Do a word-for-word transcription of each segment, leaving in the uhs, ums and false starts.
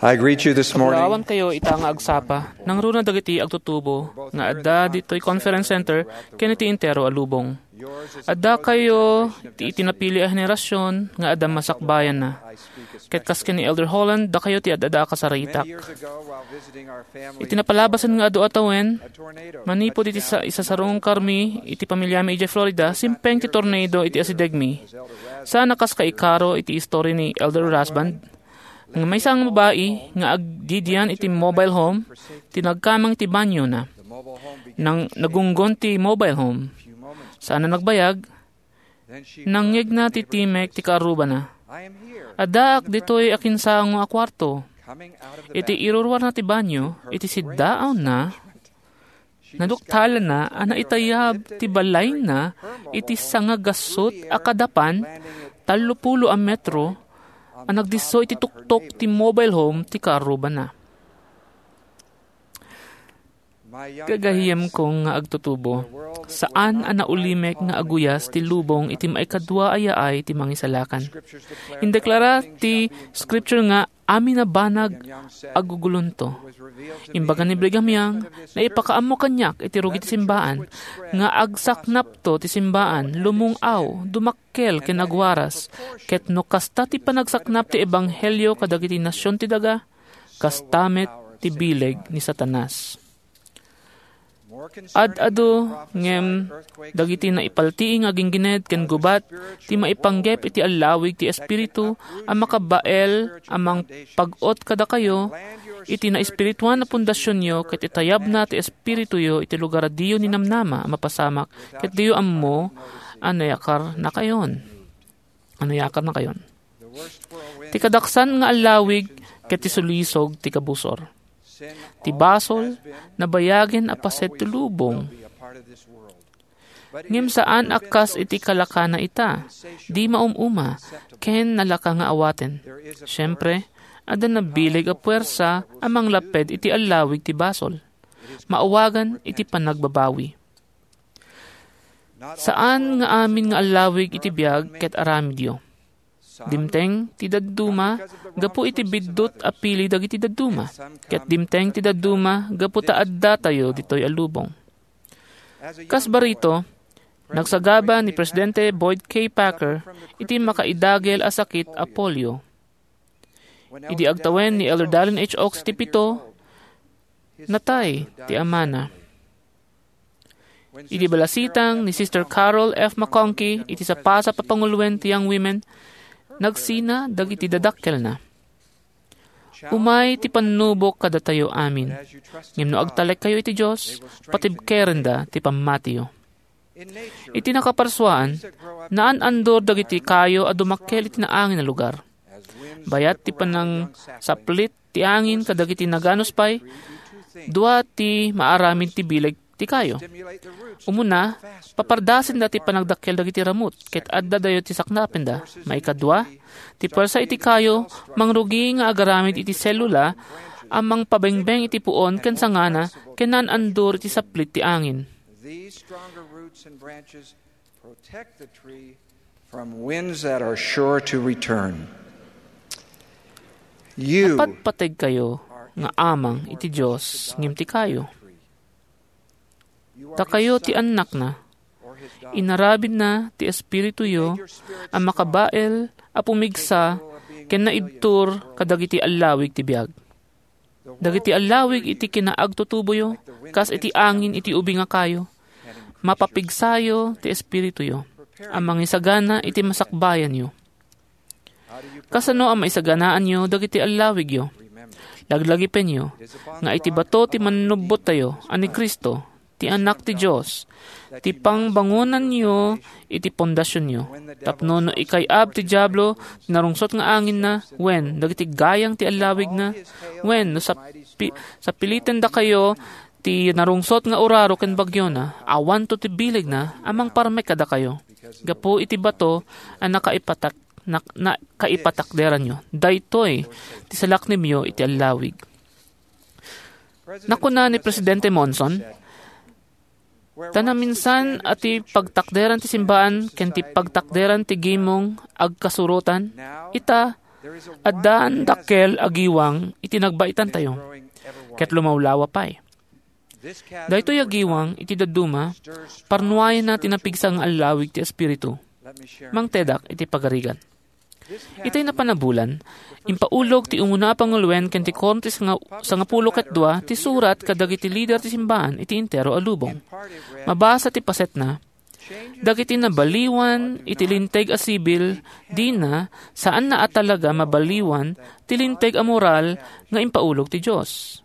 I greet you this morning. Kapulowankayo ita nga agsapa, nangruna dagiti agtutubo nga adda ditoy Conference Center ken iti entero a lubong. Addakayo ti iti napili a henerasyon nga adda masakbayanna. Ket kas ken ni Elder Holland, dakayo ti ad-adda a kasaritak. Iti napalabasan nga adu a tawen, manipud iti sa-, isasarungkarmi iti pamilyami idiay Florida, simpeng ti tornado iti asidegmi. Saan a kas kaikaro iti istorya ni Elder Rasband, nga maysa nga babai nga agdidian iti mobile home, ti nagkamang iti banyona. Nang nagunggon ti mobile home, saan a nagbayag, nangngegna ti timek ti kaarrubana. Addaak ditoy akinsango a kuarto. Iti iruruarna ti banyo, iti siddaawna, naduktalana a naitayab ti balayna iti sangagasut a kadapan tallopulo a metro a nagdisso iti tuktok ti mobile home ti kaarrubana. Gagayemko nga agtutubo, saan a naulimek nga aguyas ti lubong iti maikadua a yaay ti Mangisalakan. Indeklara ti Scripture nga amin a banag agugulonto. Imbaga ni Brigham Young, naipakaammo kaniak iti rugi ti simbaan, nga agsaknapto ti simbaan, lumung-aw, dumakkel ken agwaras, ket no kasta ti panagsaknap ti ebanghelio kadagiti nasion ti daga, kasta met ti bileg ni Satanas. Ad-adu ngem dagiti naipaltiing a ginggined ken gubat ti maipanggep iti allawig ti Espiritu a makabael a mangpag-ot kadakayo iti naespirituan a pundasionyo ket itayabna ti Espirituyo iti lugar a diyo ninamnama a mapasamak ket diyo ammo a nayakarnakayon. Ano yakarnakayon? Ti kadaksan nga allawig ket ti sulisog ti kabusor. Ti basol, nabayagen a paset ti lubong. Ngem saan a kas iti kalakana ita, di maum-uma, ken nalaka nga awaten. Siempre, adda nabileg a puwersa a manglapped iti allawig ti basol. Maawagan iti panagbabawi. Saan nga amin nga allawig iti biag ket aramidyo. Dimteng ti dadduma gapu iti biddut a pili dagiti dadduma, ket dimteng ti dadduma gapu ta addatayo ditoy a lubong. Kas barito, nagsagaba ni Presidente Boyd K. Packer iti makaidagel a sakit a polio. Idi agtawen ni Elder Dallin H. Oaks iti pito, natay ti amana. Idi balasitang ni Sister Carol F. McConkie iti sapasap a panguloen ti Young Women, nagsina dagiti dadakkelna. Umay ti pannubok kadatayo amin. Ngem no agtalekkayo iti Dios, patibkerenda ti pammatiyo. Iti nakaparsuaan, naan-andor dagiti kayo a dumakkel iti naangin a lugar. Bayat ti panangsaplit ti angin kadagiti naganus pay, dua ti maaramid ti bileg ti kayo. Umuna, papardasenda ti panagdakkel dagiti ramut, ket addadayo ti saknapenda. Maikadua, ti puwersa iti kayo, mangrugi nga agaramid iti selula a mangpabengbeng iti puon ken sangana ken naan-andor iti saplit ti angin. These stronger roots and branches protect the tree from winds that are sure to return. You Napatpategkayo nga amang iti Dios ngem ti kayo. Dakayo ti annakna. Inarabidna ti Espirituyo a makabael a pumigsa ken naibtur kadagiti allawig ti biag. Dagiti allawig iti kinaagtutuboyo, kas iti angin iti ubing a kayo, mapapigsayo ti espirituyo a mangisagana iti masakbayanyo. Kasano a maisaganaanyo dagiti allawigyo? Laglagipenyo nga iti bato ti mannubbottayo a ni Cristo, ti Anak ti Dios, ti pangbangonanyo iti pondasionyo. Tapno no ikay-ab ti Diablo ti narungsot nga anginna, wen dagiti gayang ti allawigna, wen no sapi-, sapilitendakayo ti narungsot nga uraro ken bagyona, awanto ti bilegna a mangparmek kadakayo. Gapu iti bato a nakaipatak-, nak-, nakaipatakderanyo, daytoy ti salaknibyo iti allawig. Nakuna ni Presidente Monson, "Ta naminsan a ti pagtakderan ti simbaan ken ti pagtakderan ti gimong agkasurotan, ita, Addan dakkel a giwang iti nagbaitantayo, ket lumawlawa pay. Daytoy a giwang iti dadduma, parnuayenna ti napigsa nga allawig ti Espiritu. Mangtedak iti pagarigan. Itay napan a bulan, impaulog ti umuna a panguloen ken ti Korte sanga-, sangapulo ket dua ti surat kadagiti lider ti simbaan iti entero a lubong. Mabasa ti pasetna, dagiti nabaliwan iti linteg a sibil, dina, saanna a talaga mabaliwan ti linteg a moral nga impaulog ti Dios.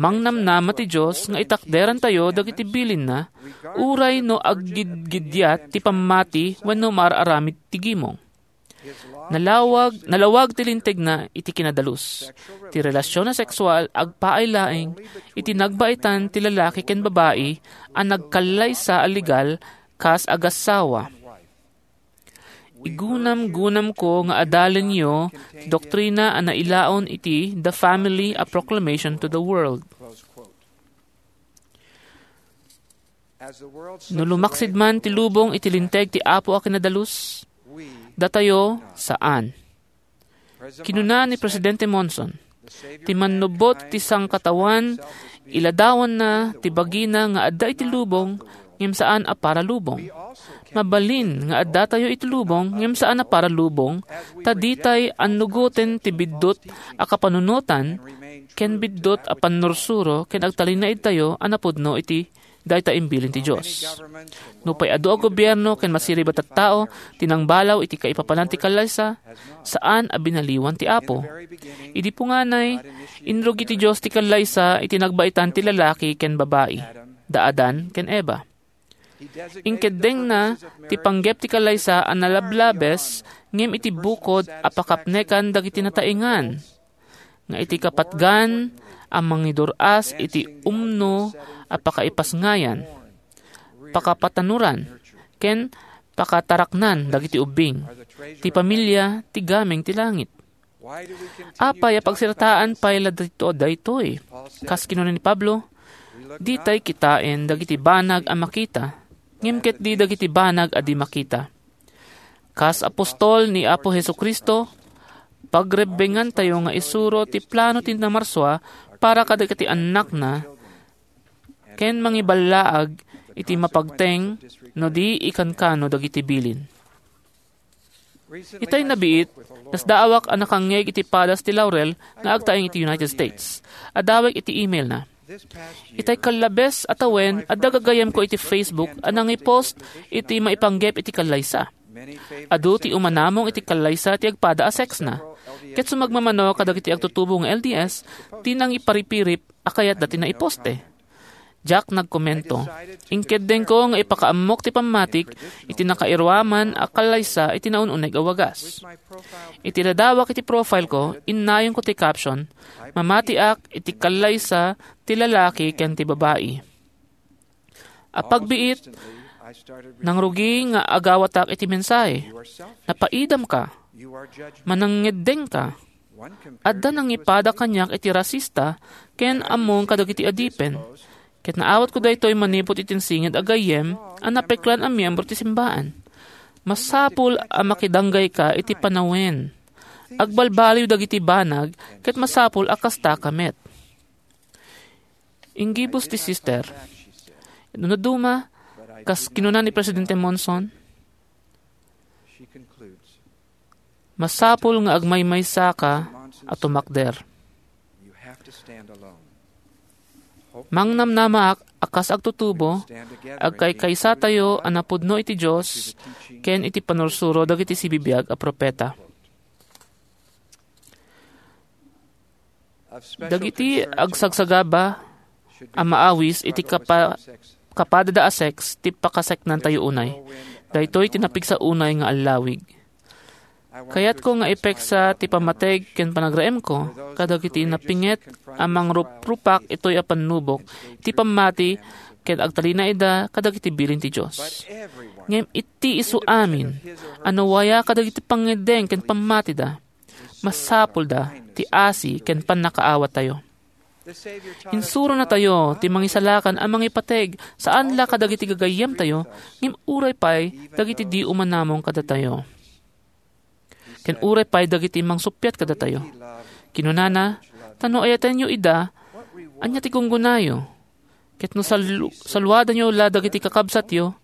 Mangnamnama ti Dios nga itakderantayo dagiti bilinna, uray no aggidgidiat ti pammati wenno maar-aramid ti gimong. Nalawag, nalawag ti lintegna iti kinadalus. Ti relasyon a sexual agpaay laeng iti nagbaitan ti lalaki ken babai a nagkallaysa a legal kas agassawa. Igunam-gunamko nga adalenyo ti doktrina a nailaon iti The Family: A Proclamation to the World. No lumaksid man ti lubong iti linteg ti Apo a kinadalus, datayo, saan. Kinuna ni Presidente Monson, "Ti mannubbot ti sangkatawan, iladawanna ti bagina nga adda iti lubong, ngem saan a para lubong. Mabalin nga addatayo iti lubong, ngem saan a para lubong, ta ditay annugoten ti biddut a kapanunotan ken biddut a pannursuro ken agtalinaedtayo a napudno iti dayta imbilin ti Dios. Nupay adu a gobierno ken masirib a tattao ti nangbalaw iti kaipapanan ti kallaysa, saan a binaliwan ti Apo. Idi punganay, inrugi ti Dios ti kallaysa iti nagbaitan ti lalaki ken babai, da Adan ken Eva. Inkeddengna ti panggep ti kallaysa a nalablabes ngem iti bukod a pakapnekan dagiti nataengan, nga iti kapatgan a mangidur-as iti umno a pakaipasngayan, pakapatanuran, ken pakataraknan dagiti ubbing. Ti pamilia ti gameng ti langit. Apay a pagsirataan pay la dito daytoy? Kas kinuna ni Pablo, ditay kitaen dagiti banag a makita, ngem ket di dagiti banag a di makita. Kas apostol ni Apo Jesu-Cristo, pagrebbengantayo nga isuro ti plano ti Namarsua para kadagiti annakna ken mangiballaag iti mapagteng no di ikankano dagiti bilin. Itay nabiit, nasdaawak a nakangngeg iti padas ti laurel nga agtaeng iti United States. Adawek iti email na. Itay kallabes a tawen, adda gagayyemko iti Facebook a nangipost iti maipanggep iti kallaysa. Adu ti umanamong iti kallaysa ti agpada a sexna. Ket sumagmamano kadagiti agtutubo nga L D S, ti nangiparipirip a kayatda ti naiposte. Diak nagkomento. Inkeddengko nga ipakaammok ti pammatik iti nakairuaman a kallaysa iti naun-uneg a wagas. Iti ladawak iti profile ko, innayonko ti caption, "Mamatiak iti kallaysa ti lalaki ken ti babai." A pagbiit, nangrugi nga agawatak iti mensahe. Napaidamka. Manangngeddengka. Adda nangipada kaniak iti rasista ken ammong kadagiti adipen. Ket naawatko daytoy manipud iti insinged a gayyem a napeklan a miyembro ti simbaan. Masapul a makidanggayka iti panawen. Agbalbaliw dagiti banag ket masapul a kastaka met. Inggibus ti sister. No duma, kas kinuna ni Presidente Monson, "Masapul nga agmaymaysaka a tumakder." Mangnamnamaak a kas agtutubo, agkaykaysatayo a napudno iti Dios ken iti panursuro dagiti sibibiag a profeta. Dagiti agsagsagaba a maawis iti kapa-, kapadada a sex ti pakaseknantayo unay. Daytoy ti napigsa unay nga allawig. Kayatko nga ipeksa ti pammateg ken panagraemko kadagiti napinget a mangruprupak itoy a pannubok ti pammati ken agtalinaedda kadagiti bilin ti Dios. Ngem iti isu amin a nawaya kadagiti pangngeddeng ken pammatida, masapulda ti asi ken pannakaawattayo. Insuronatayo ti mangisalakan a mangipateg saan la kadagiti gagayyemtayo, ngem uray pay dagiti di umanamong kadatayo. ken uray pay dagiti mangsuppiat kadatayo. Kinunana, "Ta no ayatenyo ida, ania ti gunggonayo? Ket no salu-, saluadanyo la dagiti kakabsatyo,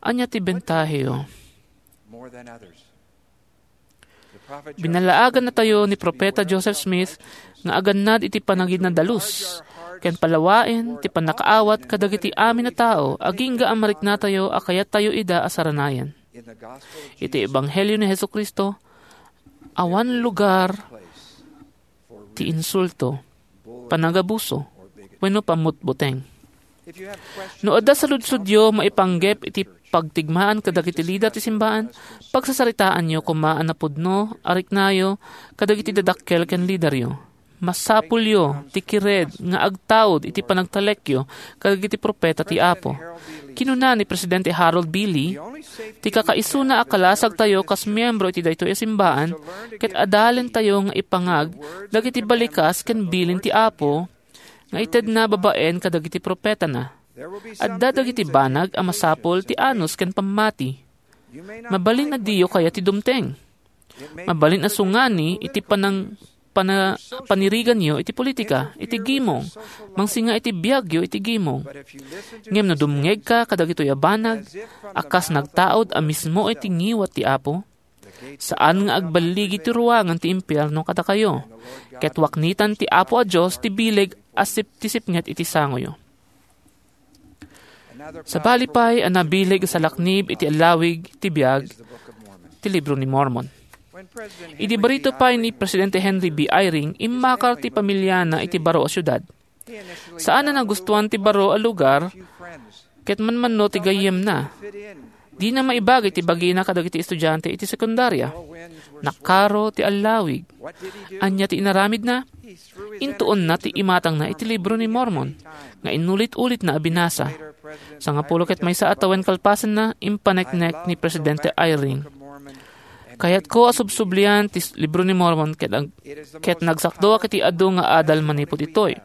ania ti bentaheyo?" Binalaagannatayo ni Profeta Joseph Smith nga agannad iti panagidna dalus ken palawaen ti pannakaawat kadagiti amin a tao agingga a mariknatayo a kayattayo ida a saranayan. Iti Ebanghelio ni Jesu-Cristo, awan lugar ti insulto, panagabuso, wenno pammutbuteng. No adda saludsodyo maipanggep iti pagtigmaan kadagiti lider ti simbaan, pagsasaritaanyo koma a napudno a riknayo kadagiti dadakkel ken lideryo. Masapulyo ti kired nga agtaud iti panagtalekyo kadagiti profeta ti Apo. Kinuna ni Presidente Harold B. Lee, "Ti kakaisuna a kalasagtayo kas miyembro iti daytoy a simbaan ket adalentayo nga ipangag dagiti balikas ken bilin ti Apo nga itedna babaen kadagiti profetana. Adda dagiti banag a masapul ti anus ken pammati. Mabalin a diyo kayat ti dumteng. Mabalin a sungani iti panang-, pana-, paniriganyo iti politika, iti gimong, mangsinga iti biagyo iti gimong. Ngem no dumngegka kadagitoy a banag, a kas nagtaud a mismo iti ngiwat ti Apo, saan nga agballigi ti ruangan ti impierno kadakayo, ket waknitan ti Apo a Dios ti bileg a sip-, ti sipnget iti sangoyo." Sabali pay a nabileg a salaknib iti allawig ti biag ti Libro ni Mormon. Idi barito pay ni Presidente Henry B. Eyring, immakar ti pamiliana iti baro a siudad. Saan a nagustuan ti baro a lugar ket manmanno ti gayyemna. Dina maibagi ti bagina kadagiti estudiante iti sekundaria. Nakaro ti allawig. Ania ti inaramidna? Intuonna ti imatangna iti Libro ni Mormon nga inulit-ulitna a binasa. Sangapulo ket maysa a tawen kalpasanna, impaneknek ni Presidente Eyring, "Kayatko a subsublian ti s-, Libro ni Mormon ket ag-, ket nagsakdoak iti adu nga adal manipud itoy."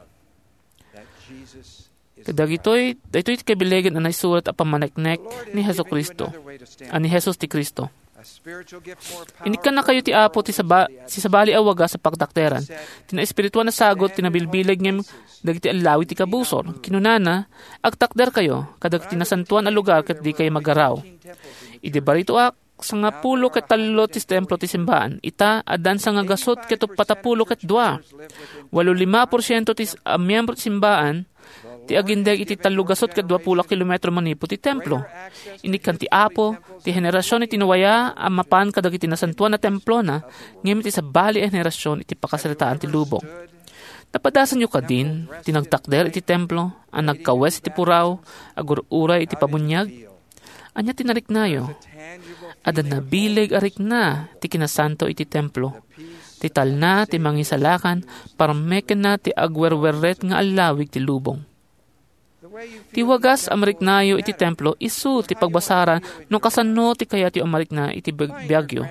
Kadagitoy, daytoy ti kabilegen a naisurat a pammaneknek ni Jesu-Cristo, a ni Jesus ti Cristo. Inikkannakayo ti Apo ti saba-, ti sabali a wagas a pagtakderan. Ti naespirituan a sagut ti nabilbileg ngem dagiti allawig ti kabusor. Kinunana, "Agtakderkayo kadagiti nasantoan a lugar ket dikayo maggaraw." Idi baritoak, sangapulo ket tallo ti templo ti simbaan. Ita, addan sangagasut ket uppat a pulo ket dua. Walo lima porsiento ti s-, a miyembro ti simbaan ti agindeg iti tallo gasut ket dua pulo a kilometro manipud ti templo. Inikkan ti Apo ti henerasion iti nuaya a mapan kadagiti nasantoan a templona, ngem iti sabali a henerasion iti pakasaritaan ti lubong. Napadasanyo kadin ti nagtakder iti templo a nagkawes iti puraw, agur-uray iti pabuniag? Ania ti nariknayo? Adda nabileg a rikna ti kinasanto iti templo. Ti talna ti mangisalakan, parmekenna ti agwerwerret nga allawig ti lubong. Ti wagas a mariknayo iti templo isu ti pagbasaran no kasano ti kayatyo a marikna iti biag-, biagyo.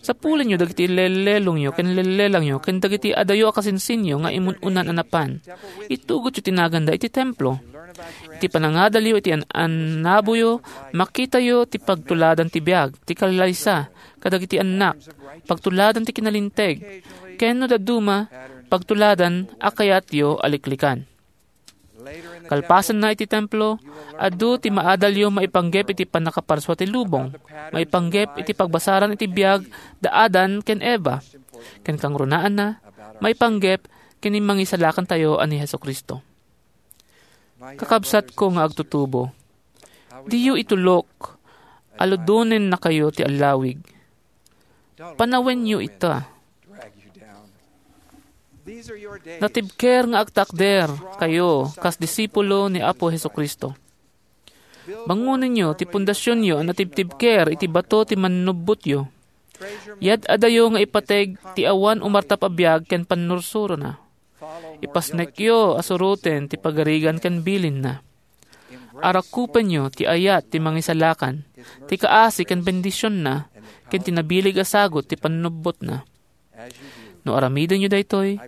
Sapulenyo dagiti lellelongyo ken lellelangyo ken dagiti adayo a kasinsinyo nga imun-unan a napan. Itugotyo ti naganda iti templo. Iti panangadalyo iti an-, annaboyo, makitayo ti pagtuladan ti biag, ti kallaysa, kadagiti annak, pagtuladan ti kinalinteg, ken no dadduma, pagtuladan a kayatyo a liklikan. Kalpasanna iti templo, adu ti maadalyo maipanggep iti pannakaparsua ti lubong, maipanggep iti pagbasaran iti biag da Adan ken Eva, ken kangrunaanna, maipanggep ken ni Mangisalakantayo a ni Jesu-Cristo. Kakabsatko nga agtutubo, diyo itulok, aludonennakayo ti allawig. Panawenyo ita. Natibker nga agtakder kayo kas disipulo ni Apo Jesu-Cristo. Bangonenyo ti pundasionyo a natibtibker iti bato ti mannubbotyo. Yad-adayo nga ipateg ti awan umartap a biag ken pannursurona. Ipasnekyo a suroten ti pagarigan ken bilinna. Arakupenyo ti ayat ti Mangisalakan, ti kaasi ken bendisionna, ken ti nabileg a sagut ti pannubbotna. No aramidenyo daytoy,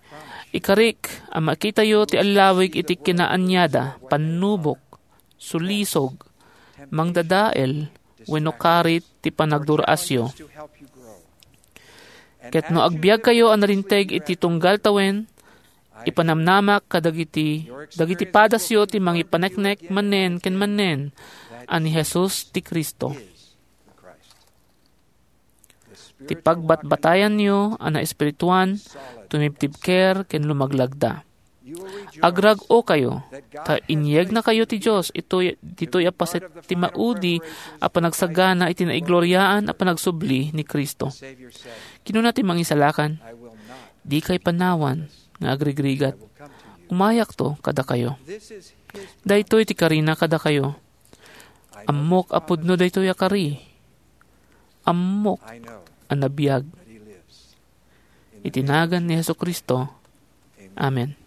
ikarik a makitayo ti allawig iti kinaaniada, pannubok, sulisog, mangdadael, wenno karit ti panagdur-asyo. Ket no agbiagkayo a nalinteg iti tunggal tawen, ipanamnamak kadagiti dagiti padasyo ti mangipaneknek manen ken manen a ni Jesus ti Cristo. Ti pagbatbatayanyo a naespirituan, tumibtibker ken lumaglagda. Agrag-okayo, ta inyegnakayo ti Dios itoy, ditoy a paset ti maudi a panagsagana iti naigloriaan a panagsubli ni Cristo. Kinuna ti Mangisalakan, "Dikay panawan nga agrigrigat. Umayakto kadakayo." Daytoy ti karina kadakayo. Ammok a pudno daytoy a kari. Ammok a nabiag. Iti nagan ni Jesu-Cristo. Amen.